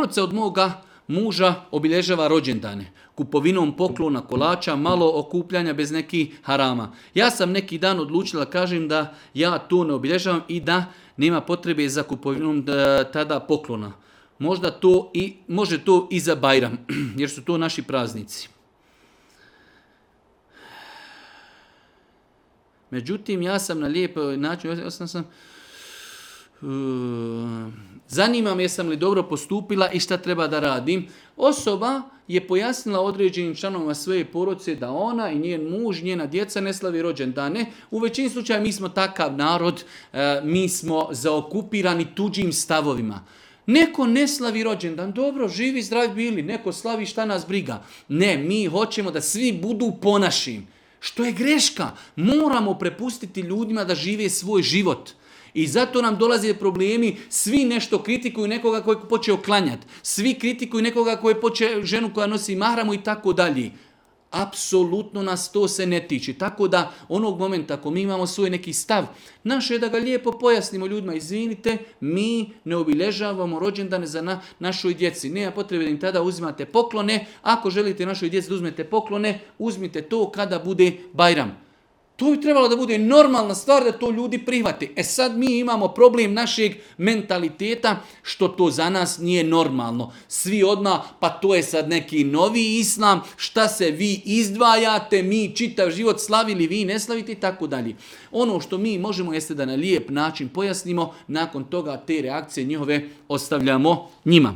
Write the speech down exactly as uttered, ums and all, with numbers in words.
Poroca od moga muža obilježava rođendane, kupovinom poklona, kolača, malo okupljanja bez nekih harama. Ja sam neki dan odlučila, kažem da ja to ne obilježavam i da nema potrebe za kupovinom tada poklona. Možda to i, može to i za Bajram, jer su to naši praznici. Međutim, ja sam na lijep način, ja sam, sam uh, zanima me jesam li dobro postupila i šta treba da radim. Osoba je pojasnila određenim članovima svoje porodice da ona i njen muž, njena djeca ne slavi rođendane. U većini slučaja mi smo takav narod, uh, mi smo zaokupirani tuđim stavovima. Neko ne slavi rođendan, dobro, živi, zdravi bili, neko slavi, šta nas briga. Ne, mi hoćemo da svi budu po našim. Što je greška. Moramo prepustiti ljudima da žive svoj život. I zato nam dolaze problemi, svi nešto kritikuju nekoga koji je počeo klanjati. Svi kritikuju nekoga koji je počeo ženu koja nosi mahramu i tako dalje. Apsolutno nas to se ne tiče. Tako da onog momenta ako mi imamo svoj neki stav, naše je da ga lijepo pojasnimo ljudima. Izvinite, mi ne obilježavamo rođendane za na, našoj djeci. Nema potrebe da im tada uzimate poklone. Ako želite našoj djeci da uzmete poklone, uzmite to kada bude Bajram. To bi trebalo da bude normalna stvar da to ljudi prihvate. E sad mi imamo problem našeg mentaliteta što to za nas nije normalno. Svi odmah, pa to je sad neki novi islam, šta se vi izdvajate, mi čitav život slavili, vi ne slavite i tako dalje. Ono što mi možemo jeste da na lijep način pojasnimo, nakon toga te reakcije njihove ostavljamo njima.